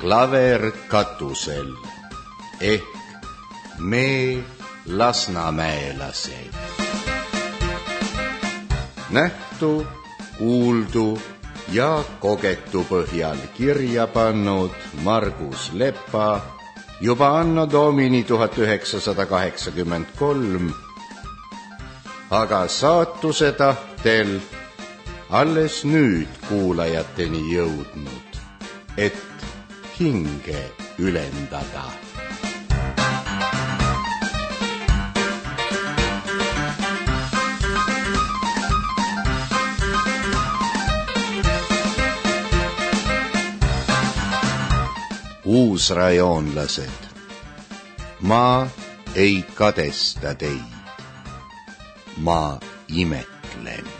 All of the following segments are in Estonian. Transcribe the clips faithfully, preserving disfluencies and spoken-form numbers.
klaver katusel ehk me lasnamäelased. Nähtu, kuuldu ja kogetu põhjal kirja pannud Margus Lepa juba anno domini tuhat üheksasada kaheksakümmend kolm, aga saatuse tahtel alles nüüd kuulajateni jõudnud, et hinge ülendada. Uusrajoonlased, ma ei kadesta teid, ma imetlen.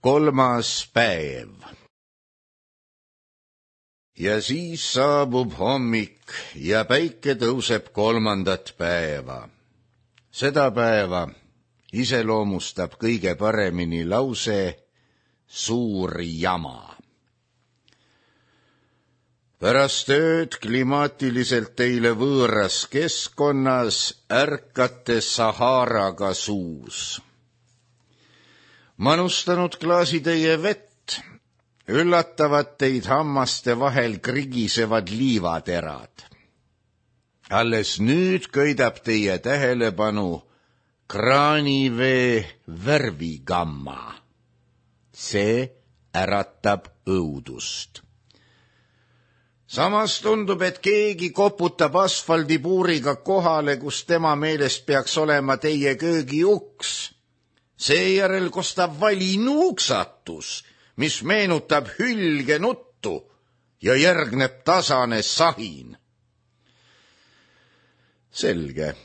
Kolmas päev. Ja siis saabub hommik ja päike tõuseb kolmandat päeva. Seda päeva iseloomustab kõige paremini lause suur jama. Pärast ööd klimaatiliselt teile võõras keskkonnas ärkate Saharaga suus. Manustanud klaasitäie vett, üllatavad teid hammaste vahel krigisevad liivaterad. Alles nüüd köidab teie tähelepanu kraanivee värvigamma. See äratab õudust. Samas tundub, et keegi koputab asfaldipuuriga kohale, kus tema meelest peaks olema teie köögi uks. Seejärel kostab vali nuuksatus, mis meenutab hülge nuttu ja järgneb tasane sahin. Selge.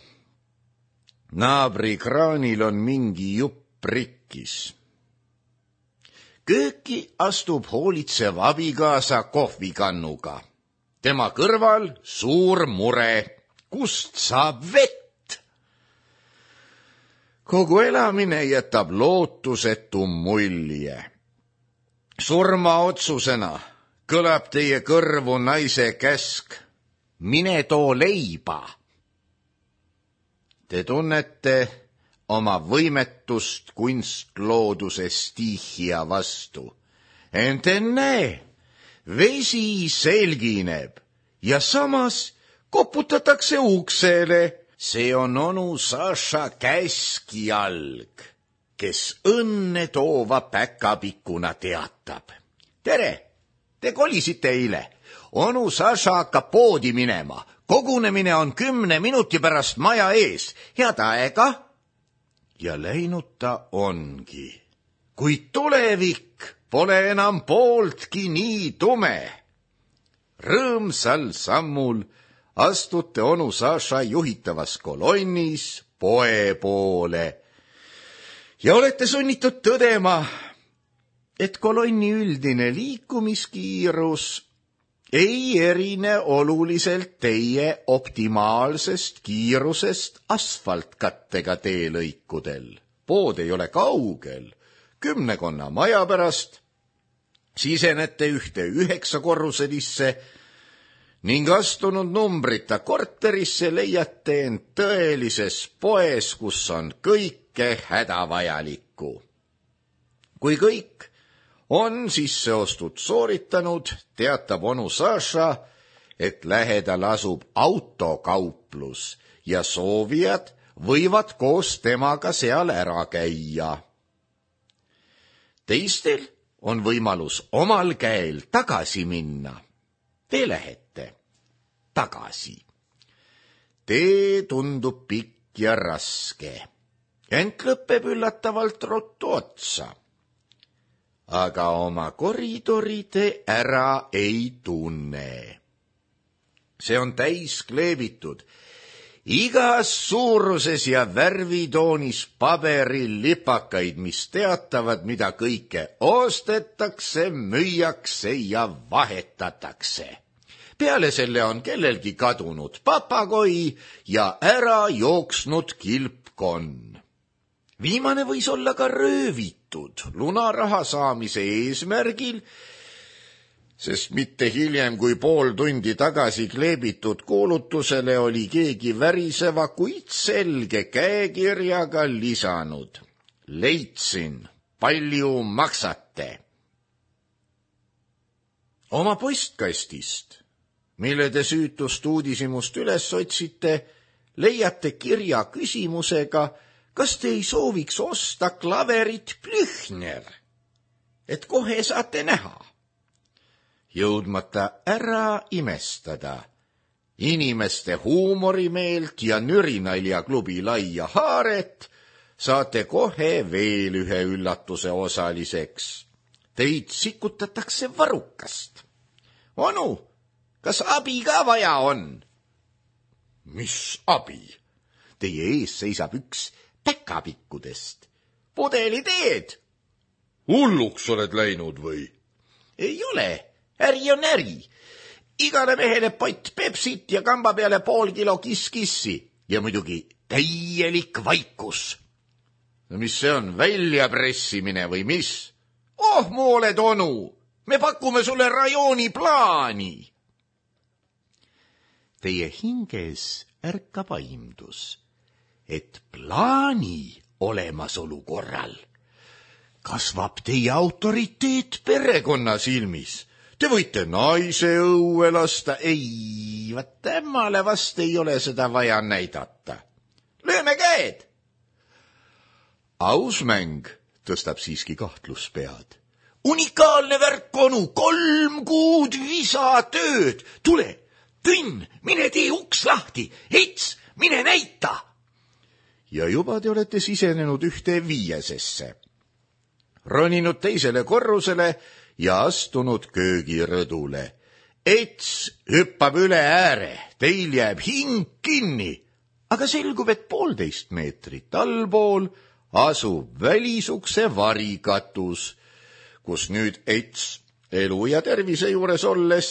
Naabri kraanil on mingi jupp rikkis. Kööki astub hoolitsev abikaasa kohvikannuga. Tema kõrval suur mure, kust saab vett. Kogu elamine jätab lootusetu mulje. Surmaotsusena kõlab teie kõrvu naise käsk, mine too leiba. Te tunnete oma võimetust kunstlooduse stiihia vastu. Ent ennäe, vesi selgineb ja samas koputatakse uksele. See on onu Saša käskjalg, kes õnne toova päkapikkuna teatab. Tere, te kolisite eile. Onu Saša hakkab poodi minema. Kogunemine on kümne minuti pärast maja ees. Head aega. Ja läinud ta ongi. Kuid tulevik pole enam pooltki nii tume. Rõõmsal sammul astute onu Saša juhitavas kolonnis poe poole. Ja olete sunnitud tõdema, et kolonni üldine liikumiskiirus ei erine oluliselt teie optimaalsest kiirusest asfaltkattega teelõikudel. Pood ei ole kaugel. Kümnekonna maja pärast sisenete ühte üheksakorruselisse ning astunud numbrita korterisse leiate end tõelises poes, kus on kõike hädavajalikku. Kui kõik on sisseostud sooritanud, teatab onu Saša, et lähedal asub autokauplus ja soovijad võivad koos temaga seal ära käia. Teistel on võimalus omal käel tagasi minna. Te lähete tagasi. Tee tundub pikk ja raske, ent lõpeb üllatavalt ruttu otsa. Aga oma koridori te ära ei tunne. See on täis kleebitud igas suuruses ja värvitoonis paberil lipakaid, mis teatavad, mida kõike ostetakse, müüakse ja vahetatakse. Peale selle on kellelgi kadunud papagoi ja ära jooksnud kilpkonn. Viimane võis olla ka röövitud lunaraha saamise eesmärgil, sest mitte hiljem kui pool tundi tagasi kleebitud kuulutusele oli keegi väriseva, kuid selge käekirjaga lisanud: leidsin, palju maksate. Oma postkastist, mille te süütust uudishimust üles otsite, leiate kirja küsimusega, kas te ei sooviks osta klaverit Plüchner, et kohe saate näha. Jõudmata ära imestada inimeste huumorimeelt ja nürinaljaklubi laia haaret, saate kohe veel ühe üllatuse osaliseks. Teid sikutatakse varrukast. Onu, kas abi ka vaja on? Mis abi? Teie ees seisab üks päkapikkudest. Pudeli teed. Hulluks oled läinud või? Ei ole. Äri on äri. Igale mehele pott Pepsit ja kamba peale pool kilo kiss-kissi. Ja muidugi täielik vaikus. No mis see on, väljapressimine või mis? Oh, mu oled onu, me pakume sulle rajooni plaani. Teie hinges ärkab aimdus, et plaani olemasolu korral kasvab teie autoriteet perekonna silmis. Te võite naise õue lasta, ei, vaat temmale vast ei ole seda vaja näidata. Lööme käed! Aus mäng tõstab siiski kahtluspead. Unikaalne värk, onu, kolm kuud visatööd. Tule, Tõnn, mine tee uks lahti, Ets, mine näita. Ja juba te olete sisenenud ühte viiesesse, roninud teisele korrusele ja astunud köögirõdule. Ets hüppab üle ääre, teil jääb hing kinni, aga selgub, et poolteist meetrit allpool asub välisukse varikatus, kus nüüd Ets elu ja tervise juures olles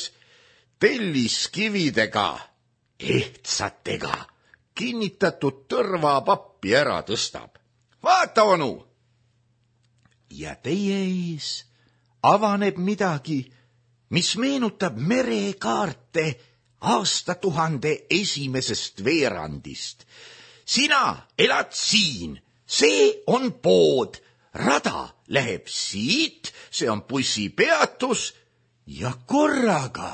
telliskividega, ehtsatega kinnitatud tõrvapappi ära tõstab. Vaata, onu! Ja teie ees avaneb midagi, mis meenutab merekaarte aastatuhande esimesest veerandist. Sina elad siin, see on pood, rada läheb siit, see on bussipeatus ja korraga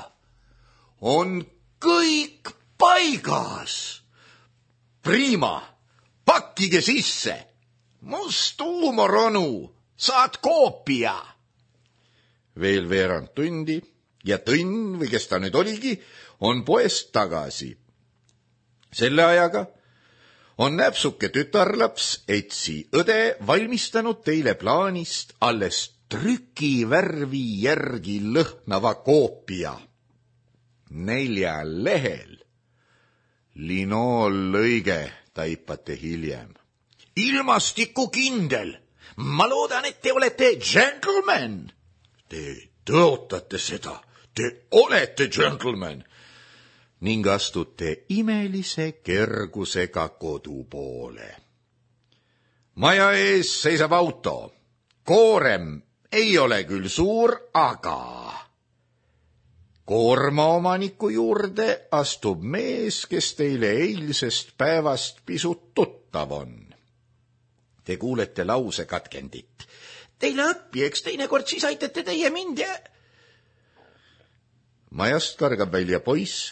on kõik paigas. Prima, pakkige sisse. Must huumor, onu, saad koopia. Veel veerand tundi ja Tõnn, või kes ta nüüd oligi, on poest tagasi. Selle ajaga on näpsuke tütarlaps Etsi õde valmistanud teile plaanist alles trükivärvi järgi lõhnava koopia. Nelja lehel. Linoollõige taipate hiljem. Ilmastikukindel. Ma loodan, et te olete gentleman. Te tõotate seda. Te olete gentleman. Ning astute imelise kergusega kodu poole. Maja ees seisab auto. Koorem ei ole küll suur, aga koormaomaniku juurde astub mees, kes teile eilsest päevast pisut tuttav on. Te kuulete lause katkendit. Teile õppi, eks teinekord siis aitate teie mind ja... Majast kargab välja poiss,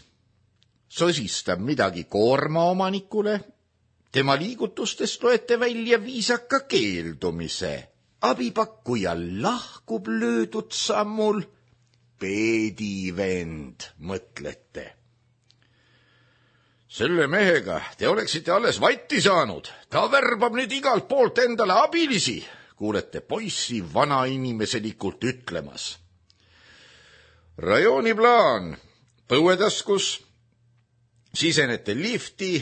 sosistab midagi koormaomanikule. Tema liigutustest loete välja viisaka keeldumise. Abipakkuja lahkub löödud sammul. Peedivend, mõtlete. Selle mehega te oleksite alles vatti saanud. Ta värbab nüüd igalt poolt endale abilisi, kuulete poissi vanainimeselikult ütlemas. Rajooni plaan, põuetaskus, sisenete lifti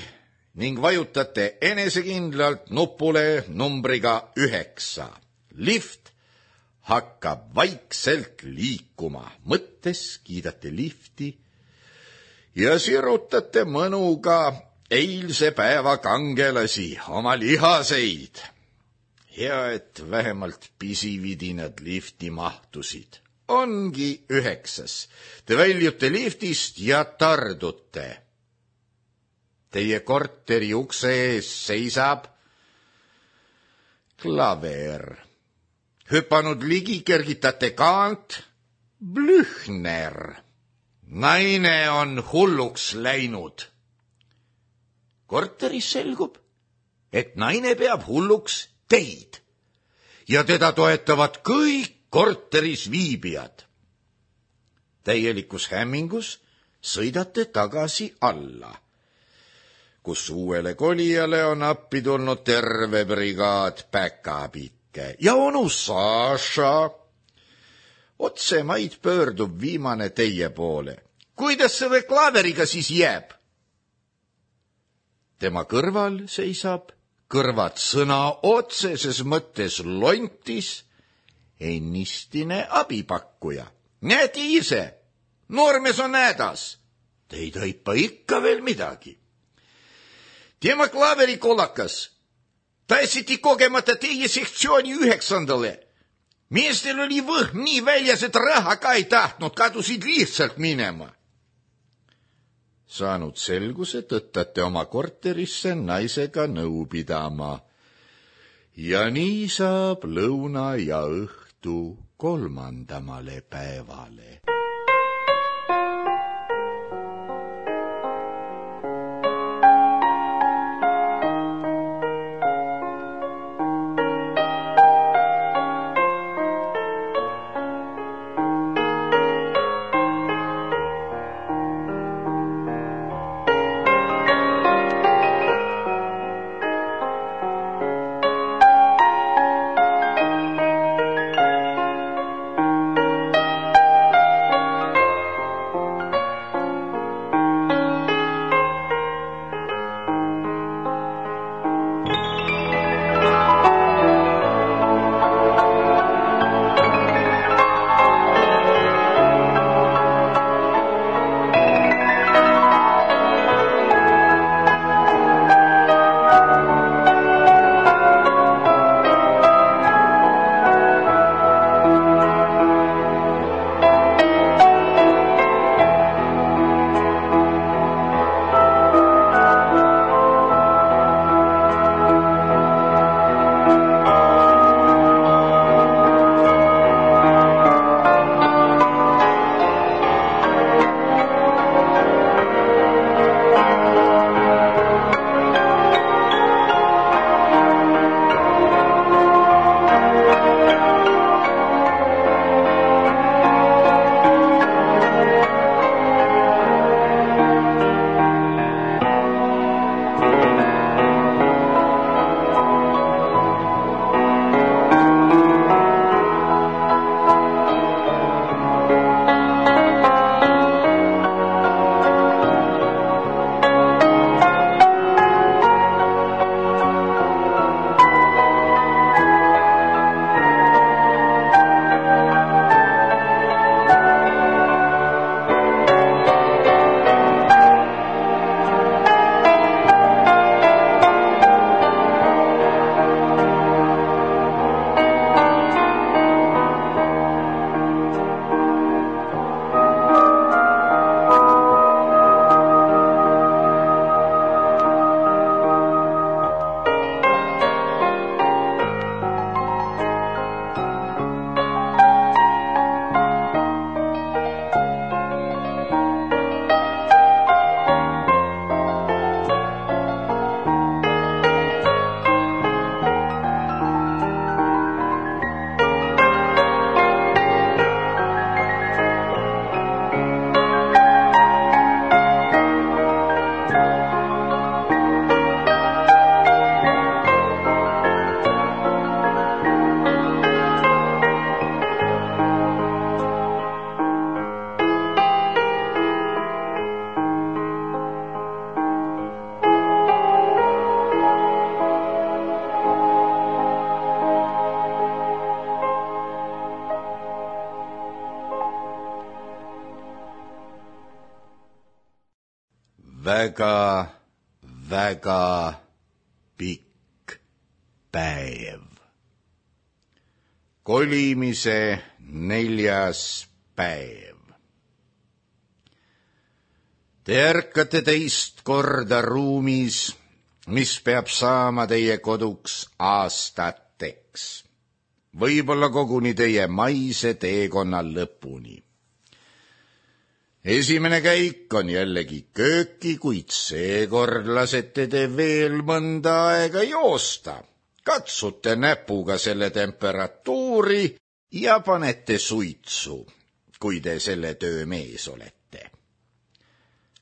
ning vajutate enesekindlalt nupule numbriga üheksa. Lift hakkab vaikselt liikuma, mõttes kiidate lifti ja sirutate mõnuga eilse päeva kangelasi, oma lihaseid. Hea, et vähemalt pisividinad lifti mahtusid. Ongi üheksas. Te väljute liftist ja tardute. Teie korteri ukse ees seisab klaver. Hüpanud ligi kergitate kaant Blüchner. Naine on hulluks läinud. Korteris selgub, et naine peab hulluks teid ja teda toetavad kõik korteris viibijad. Täielikus hämmingus sõidate tagasi alla, kus uuele kolijale on appi tulnud terve brigaad päkapikke ja onu Saša. Otsemaid pöördub viimane teie poole. Kuidas selle klaveriga siis jääb? Tema kõrval seisab kõrvad sõna otseses mõttes lontis ennistine abipakkuja. Näete ise, noormees on hädas. Te ei taipa ikka veel midagi. Tema klaveri kollakas. Tassiti kogemata teie sektsiooni üheksandale. Meestel oli võhm nii väljas, et raha ka ei tahtnud, kadusid lihtsalt minema. Saanud selguse, tõttate oma korterisse naisega nõu pidama. Ja nii saab lõuna ja õhtu kolmandamale päevale. väga, väga pikk päev. Kolimise neljas päev. Te ärkate teist korda ruumis, mis peab saama teie koduks aastateks, võib-olla koguni teie maise teekonna lõpuni. Esimene käik on jällegi kööki, kuid seekord lasete te veel mõnda aega joosta. Katsute näpuga selle temperatuuri ja panete suitsu, kui te selle töö mees olete.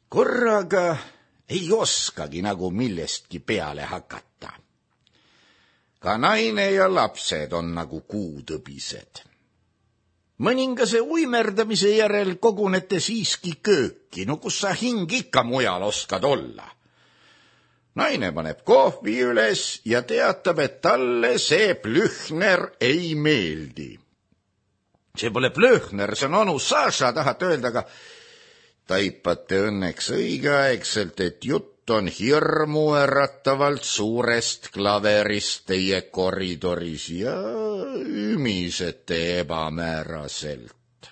Korraga ei oskagi nagu millestki peale hakata. Ka naine ja lapsed on nagu kuutõbised. Mõningase uimerdamise järel kogunete siiski kööki, no kus sa hing ikka mujal oskad olla. Naine paneb kohvi üles ja teatab, et talle see Plühner ei meeldi. See pole Plühner, see on onu Saša, tahate öelda, aga taipate õnneks õigeaegselt, et jutt on hirmu äratavalt suurest klaverist teie koridoris ja ümisete ebamääraselt.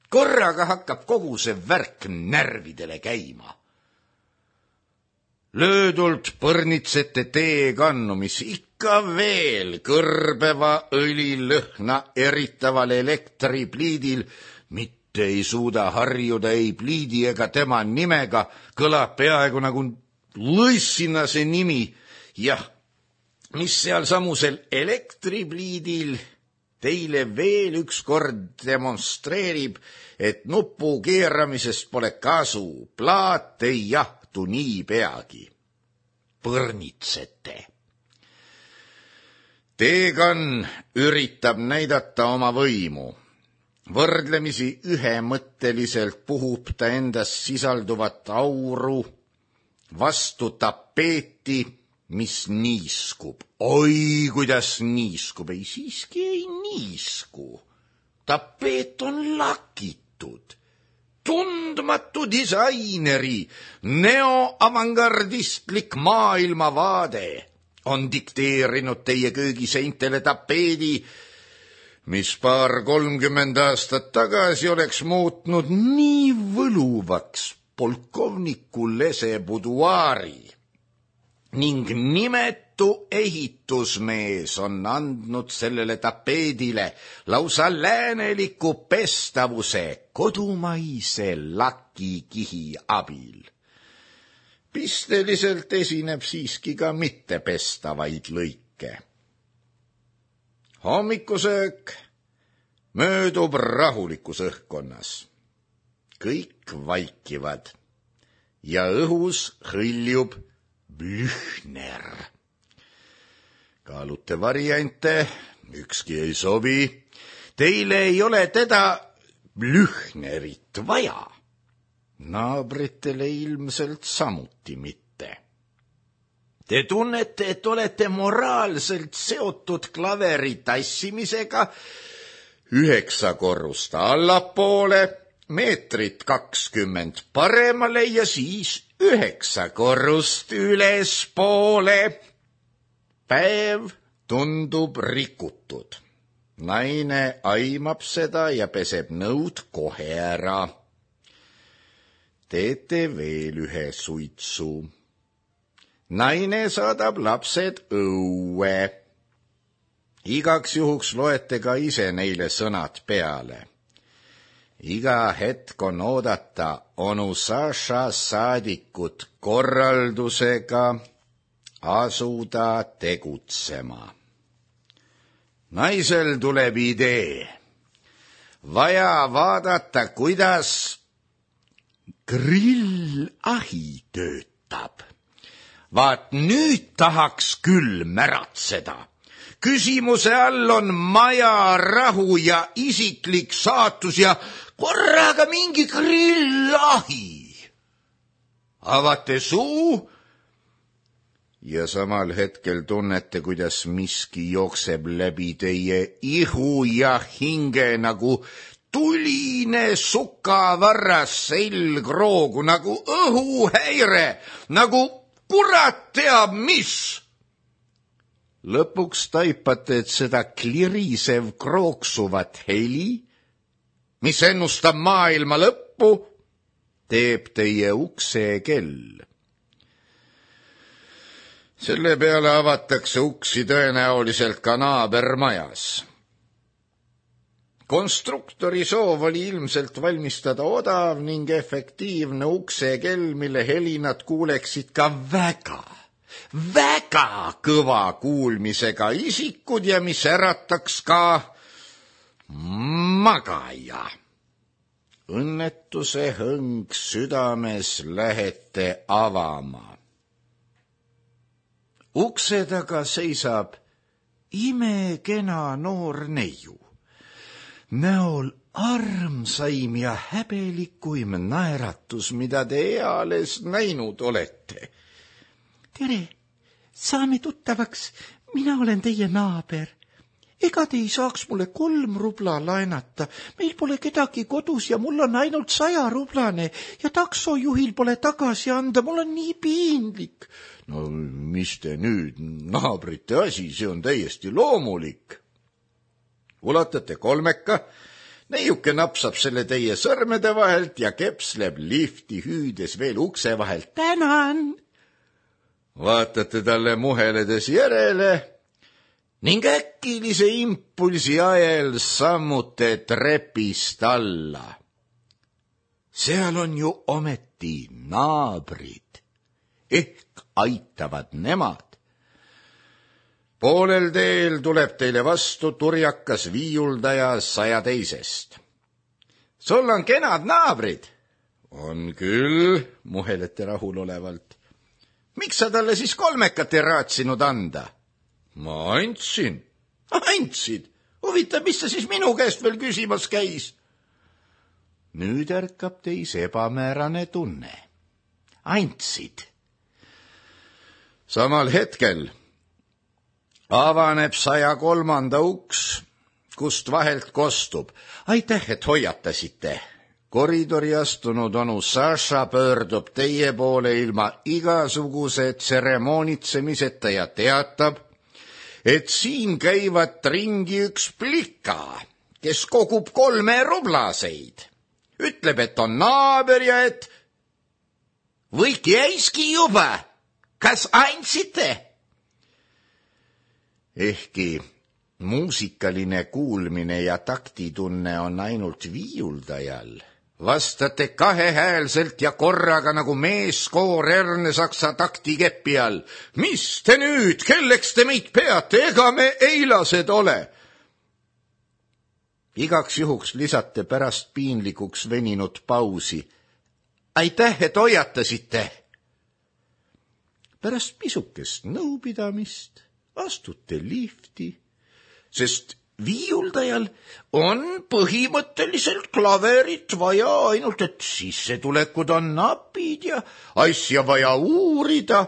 Korraga hakkab kogu see värk närvidele käima. Löödult põrnitsete teekannu, mis ikka veel kõrbeva õlilõhna eritaval elektripliidil mitte ei suuda harjuda ei pliidi ega tema nimega, kõlab peaaegu nagu lõssina see nimi. Jah, mis seal samusel elektripliidil teile veel ükskord demonstreerib, et nupu keeramisest pole kasu, plaat ei jahtu nii peagi. Põrnitsete. Teekann üritab näidata oma võimu. Võrdlemisi ühemõtteliselt puhub ta endas sisalduvat auru vastu tapeeti, mis niiskub. Oi, kuidas niiskub, ei siiski ei niisku. Tapeet on lakitud. Tundmatu disaineri neoavangardistlik maailmavaade on dikteerinud teie köögiseintele tapeedi, mis paar kolmkümmend aastat tagasi oleks muutnud nii võluvaks polkovniku lese buduaari ning nimetu ehitusmees on andnud sellele tapeedile lausa lääneliku pestavuse kodumaise lakikihi abil. Pisteliselt esineb siiski ka mittepestavaid lõike. Hommikusöök möödub rahulikus õhkkonnas. Kõik vaikivad ja õhus hõljub Plühner. Kaalute variante, ükski ei sobi. Teile ei ole teda Plühnerit vaja. Naabritele ilmselt samuti mitte. Te tunnete, et olete moraalselt seotud klaveri tassimisega üheksa korrust allapoole, meetrit kakskümmend paremale ja siis üheksa korrust ülespoole. Päev tundub rikutud. Naine aimab seda ja peseb nõud kohe ära. Teete veel ühe suitsu. Naine saadab lapsed õue. Igaks juhuks loete ka ise neile sõnad peale. Iga hetk on oodata onu Saša saadikut korraldusega asuda tegutsema. Naisel tuleb idee. Vaja vaadata, kuidas grillahi töötab. Vaat nüüd tahaks küll märatseda. Küsimuse all on maja rahu ja isiklik saatus ja korraga mingi grillahi. Avate suu ja samal hetkel tunnete, kuidas miski jookseb läbi teie ihu ja hinge nagu tuline sukavarras selgroogu, nagu õhuhäire, nagu kurat teab mis. lõpuks taipate, et seda klirisev krooksuvat heli, mis ennustab maailma lõppu, teeb teie ukse kell. Selle peale avatakse uksi tõenäoliselt ka naabermajas. Konstruktori soov oli ilmselt valmistada odav ning efektiivne ukse kell, mille helinad kuuleksid ka väga, väga kõva kuulmisega isikud ja mis ärataks ka magaja. Õnnetuse hõng südames lähete avama. Ukse taga seisab imekena noor neiu, näol armsaim ja häbelikuim naeratus, mida te eales näinud olete. Tere, saame tuttavaks, mina olen teie naaber. Ega te ei saaks mulle kolm rubla laenata, meil pole kedagi kodus ja mul on ainult saja rublane ja taksojuhil pole tagasi anda, mul on nii piinlik. No mis te nüüd, naabrite asi, see on täiesti loomulik. Ulatate kolmeka, neiuke napsab selle teie sõrmede vahelt ja kepsleb lifti hüüdes veel ukse vahelt. Tänan! Vaatate talle muheledes järele ning äkilise impulsi ajel sammute trepist alla. Seal on ju ometi naabrid, ehk aitavad nemad. Poolel teel tuleb teile vastu turjakas viiuldaja saja teisest. Sul on kenad naabrid? On küll, muhelete rahulolevalt. Miks sa talle siis kolmekat ei raatsinud anda? Ma andsin. Andsid? Huvitav, mis sa siis minu käest veel küsimas käis? Nüüd ärkab teis ebamäärane tunne. Andsid. Samal hetkel avaneb saja kolmanda uks, kust vahelt kostub. Aitäh, et hoiatasite. Koridori astunud onu Saša pöördub teie poole ilma igasuguse tseremoonitsemiseta ja teatab, et siin käivad ringi üks plika, kes kogub kolme rublaseid. Ütleb, et on naaber ja et võik jäiski juba, kas andsite? Ehkki muusikaline kuulmine ja taktitunne on ainult viiuldajal, vastate kahehäälselt ja korraga nagu meeskoor Ernesaksa taktikepi all. Mis te nüüd, kelleks te meid peate, ega me eilased ole? Igaks juhuks lisate pärast piinlikuks veninud pausi. Aitäh, et hoiatasite. Pärast pisukest nõupidamist astute lifti, sest viiuldajal on põhimõtteliselt klaverit vaja, ainult et sissetulekud on napid ja asja vaja uurida.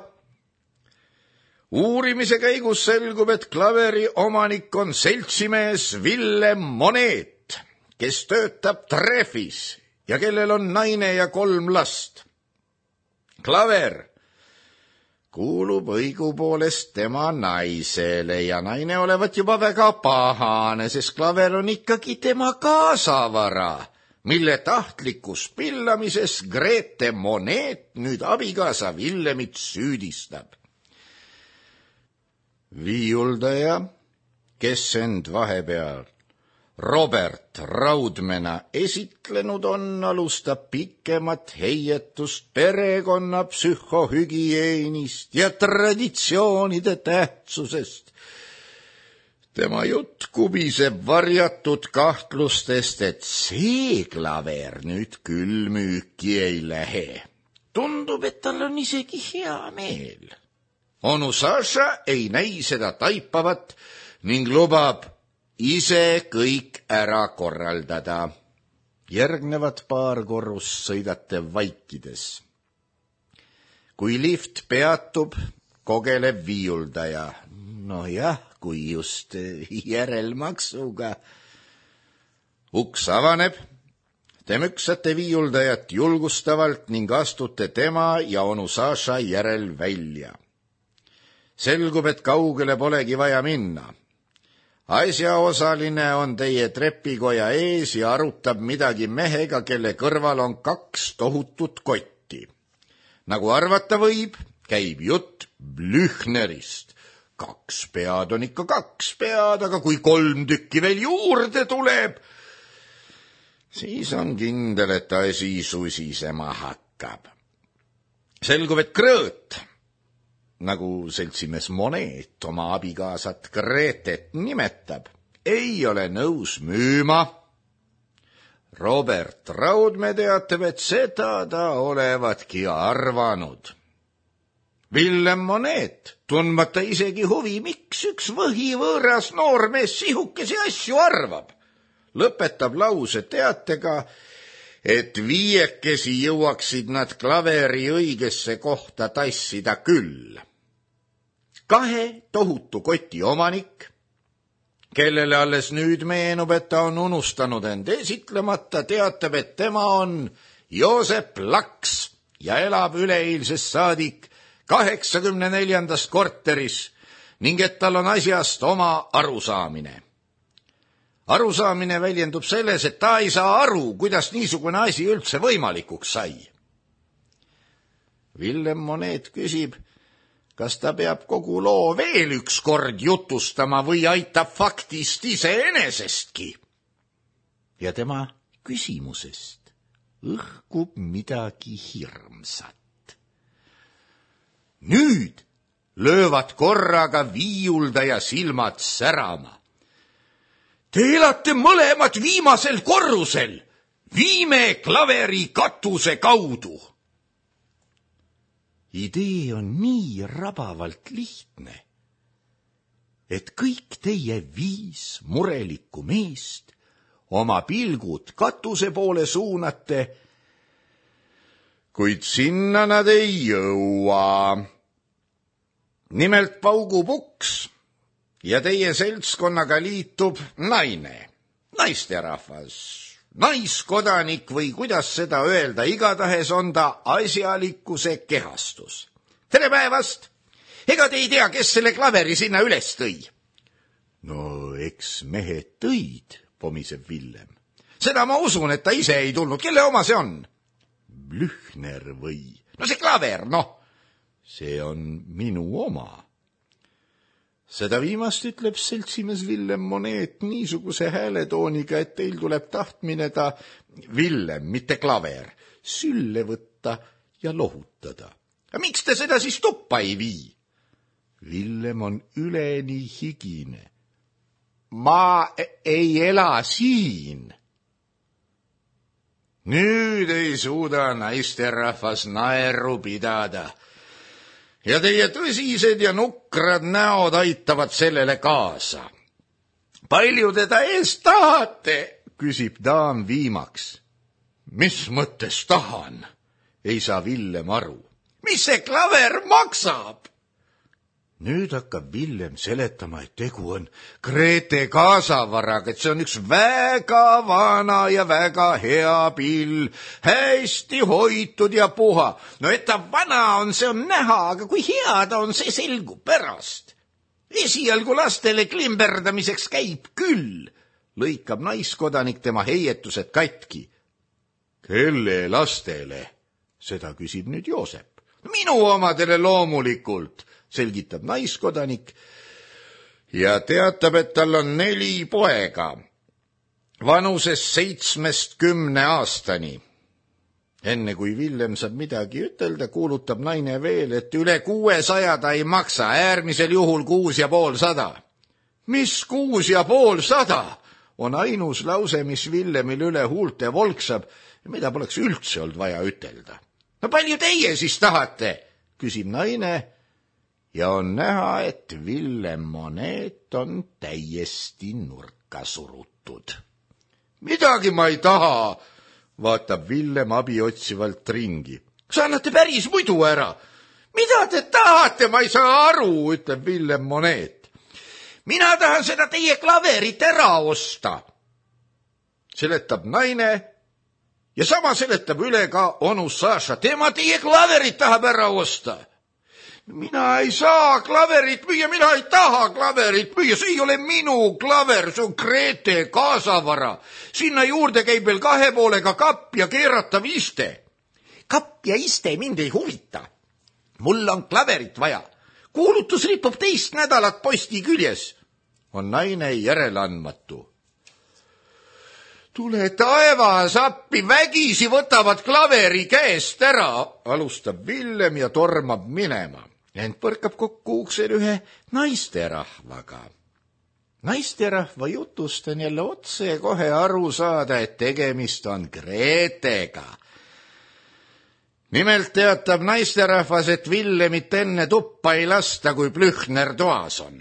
Uurimise käigus selgub, et klaveri omanik on seltsimees Villem Moneet, kes töötab Treffis ja kellel on naine ja kolm last. Klaver kuulub õigupoolest tema naisele ja naine olevat juba väga pahane, sest klaver on ikkagi tema kaasavara, mille tahtlikus pillamises Grete Moneet nüüd abikaasa Villemit süüdistab. Viiuldaja, kes end vahepeal Robert Raudmena esitlenud on, alustab pikemat heietust perekonna psühhohügieenist ja traditsioonide tähtsusest. Tema jutt kubiseb varjatud kahtlustest, et see klaver nüüd küll müüki ei lähe. Tundub, et tal on isegi hea meel. Onu Saša ei näi seda taipavat ning lubab ise kõik ära korraldada. Järgnevad paar korrust sõidate vaikides. Kui lift peatub, kogeleb viiuldaja. No jah, kui just järelmaksuga. Uks avaneb, te müksate viiuldajat julgustavalt ning astute tema ja onu Saša järel välja. selgub, et kaugele polegi vaja minna. Asjaosaline on teie trepikoja ees ja arutab midagi mehega, kelle kõrval on kaks tohutut kotti. Nagu arvata võib, käib jutt Blüchnerist. Kaks pead on ikka kaks pead, aga kui kolm tükki veel juurde tuleb, siis on kindel, et asi susisema hakkab. Selgub, et Krõõt, nagu seltsimees Moneet oma abikaasat Gretet nimetab, ei ole nõus müüma. Robert Raudmäe teatab, et seda ta olevatki arvanud. Villem Moneet, tundmata isegi huvi, miks üks võhivõõras noormees sihukesi asju arvab, lõpetab lause teatega, et viiekesi jõuaksid nad klaveri õigesse kohta tassida küll. Kahe tohutu koti omanik, kellele alles nüüd meenub, et ta on unustanud end esitlemata, teatab, et tema on Joosep Laks ja elab üleeilsest saadik kaheksakümne neljandast korteris ning et tal on asjast oma arusaamine. Arusaamine väljendub selles, et ta ei saa aru, kuidas niisugune asi üldse võimalikuks sai. Villem Moneet küsib, kas ta peab kogu loo veel üks kord jutustama või aitab faktist iseenesestki. Ja tema küsimusest õhkub midagi hirmsat. Nüüd löövad korraga viiuldaja silmad särama. Te elate mõlemad viimasel korrusel. Viime klaveri katuse kaudu. Idee on nii rabavalt lihtne, et kõik teie viis murelikku meest oma pilgud katuse poole suunate, kuid sinna nad ei jõua. Nimelt paugub uks ja teie seltskonnaga liitub naine, naisterahvas, naiskodanik või kuidas seda öelda, igatahes on ta asjalikkuse kehastus. Tere päevast! Ega te ei tea, kes selle klaveri sinna üles tõi? No eks mehed tõid, pomiseb Villem. Seda ma usun, et ta ise ei tulnud. Kelle oma see on? Blüchner või? No see klaver, noh. See on minu oma. Seda viimast ütleb seltsimees Villem Moneet niisuguse hääletooniga, et teil tuleb tahtmine ta, Villem, mitte klaver, sülle võtta ja lohutada. Miks te seda siis tuppa ei vii? Villem on üleni higine. Ma ei ela siin. Nüüd ei suuda naisterahvas naeru pidada. Ja teie tõsised ja nukrad näod aitavad sellele kaasa. Palju te ta eest tahate, küsib daam viimaks. Mis mõttes tahan? Ei saa Villem aru. Mis see klaver maksab? Nüüd hakkab Villem seletama, et tegu on Grete kaasavaraga, et see on üks väga vana ja väga hea pill, hästi hoitud ja puha. No et ta vana on, see on näha, aga kui hea ta on, see selgub pärast. Esialgu lastele klimberdamiseks käib küll, lõikab naiskodanik tema heietused katki. Kelle lastele? Seda küsib nüüd Joosep. Minu omadele loomulikult, selgitab naiskodanik ja teatab, et tal on neli poega, vanuses seitsmest kümne aastani. Enne kui Villem saab midagi ütelda, kuulutab naine veel, et üle kuuesaja ta ei maksa, äärmisel juhul kuus ja pool sada. Mis kuus ja pool sada? On ainus lause, mis Villemil üle huulte volksab ja mida poleks üldse olnud vaja ütelda. No palju teie siis tahate? Küsib naine. Ja on näha, et Villem Moneet on täiesti nurka surutud. Midagi ma ei taha, vaatab Villem abi otsivalt ringi. Kas annate päris muidu ära? Mida te tahate, ma ei saa aru, ütleb Villem Moneet. Mina tahan seda teie klaverit ära osta. Seletab naine ja sama seletab üle ka onu Saša. Tema teie klaverit tahab ära osta. mina ei saa klaverit müüa, mina ei taha klaverit müüa, see ei ole minu klaver, see on Grete kaasavara. Sinna juurde käib veel kahe poolega kapp ja keeratav iste. Kapp ja iste mind ei huvita. Mul on klaverit vaja. Kuulutus ripub teist nädalat posti küljes. On naine järeleandmatu. Tule taevas appi, vägisi võtavad klaveri käest ära, alustab Villem ja tormab minema. Ent põrkab kokku uksel ühe naisterahvaga. Naisterahva jutust on jälle otse kohe aru saada, et tegemist on Gretega. Nimelt teatab naisterahvas, et Villemit enne tuppa ei lasta, kui Plühner toas on.